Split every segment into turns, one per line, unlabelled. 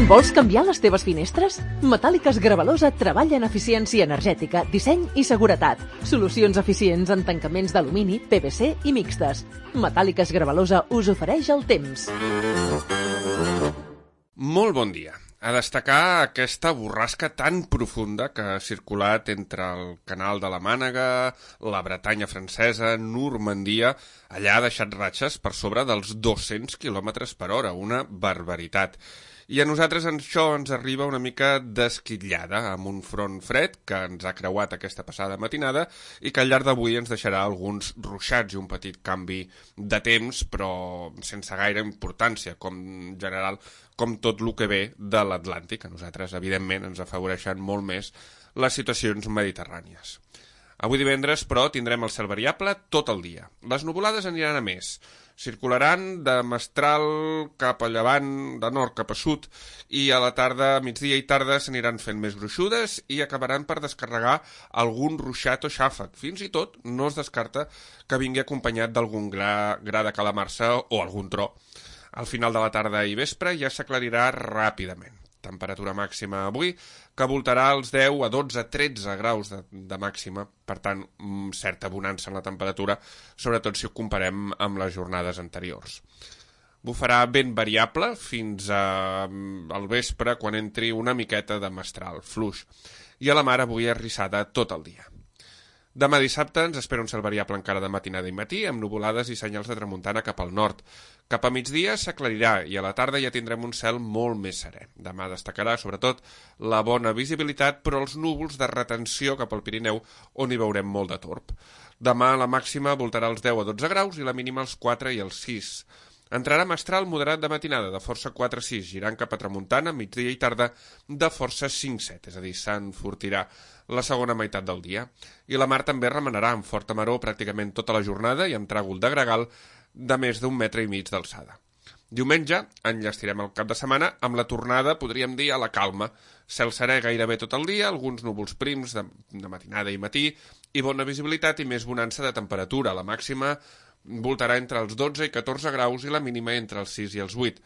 Vols canviar les teves finestres? Metàl·liques Gravalosa treballa en eficiència energètica, disseny i seguretat. Solucions eficients en tancaments d'alumini, PVC i mixtes. Metàl·liques Gravalosa us ofereix el temps.
Molt bon dia. A destacar aquesta borrasca tan profunda que ha circulat entre el canal de la Mànega, la Bretanya francesa, Normandia. Allà ha deixat ratxes per sobre dels 200 km per hora, una barbaritat. I a nosaltres això ens arriba una mica desquitllada, amb un front fred que ens ha creuat aquesta passada matinada i que al llarg d'avui ens deixarà alguns ruixats i un petit canvi de temps, però sense gaire importància, com en general, com tot el que ve de l'Atlàntic. A nosaltres, evidentment, ens afavoreixen molt més les situacions mediterrànies. Avui divendres, però, tindrem el cel variable tot el dia. Les nuvolades aniran a més. Circularan de mestral cap a llevant, de nord cap a sud, i a la tarda, migdia i tarda, s'aniran fent més gruixudes i acabaran per descarregar algun ruixat o xàfec. Fins i tot no es descarta que vingui acompanyat d'algun gra de calamarsa o algun tro. Al final de la tarda i vespre ja s'aclarirà ràpidament. Temperatura màxima avui que voltarà als 10 a 12 a 13 graus de màxima, per tant, certa bonança en la temperatura, sobretot si ho comparem amb les jornades anteriors. Bufarà vent variable fins al vespre, quan entri una miqueta de mestral fluix, i a la mar avui arrissada tot el dia. Demà dissabte ens espera un cel variable encara de matinada i matí, amb nuvolades i senyals de tramuntana cap al nord. Cap a migdia s'aclarirà i a la tarda ja tindrem un cel molt més serè. Demà destacarà, sobretot, la bona visibilitat, però els núvols de retenció cap al Pirineu, on hi veurem molt de torb. Demà la màxima voltarà als 10 a 12 graus i la mínima als 4 i als 6. Entrarà mestral moderat de matinada, de força 4-6, girant cap a tramuntana, migdia i tarda, de força 5-7, és a dir, s'enfortirà la segona meitat del dia. I la mar també remenarà amb forta maror pràcticament tota la jornada i amb tràgol de gregal de més d'1,5 metres d'alçada. Diumenge enllestirem el cap de setmana amb la tornada, podríem dir, a la calma. Cel serè gairebé tot el dia, alguns núvols prims de matinada i matí, i bona visibilitat i més bonança de temperatura. La màxima voltarà entre els 12 i 14 graus i la mínima entre els 6 i els 8.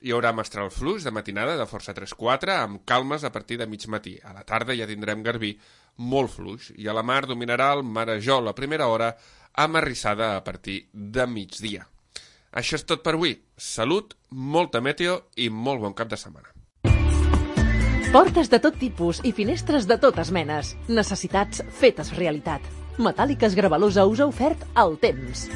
Hi haurà mestral fluix de matinada de força 3-4 amb calmes a partir de mig matí. A la tarda ja tindrem garbí molt fluix i a la mar dominarà el marejol a primera hora amb arrissada a partir de migdia. Això és tot per avui. Salut, molta meteo i molt bon cap de setmana.
Portes de tot tipus i finestres de totes menes. Necessitats fetes realitat. Metàl·liques Gravalosa us ha ofert el temps.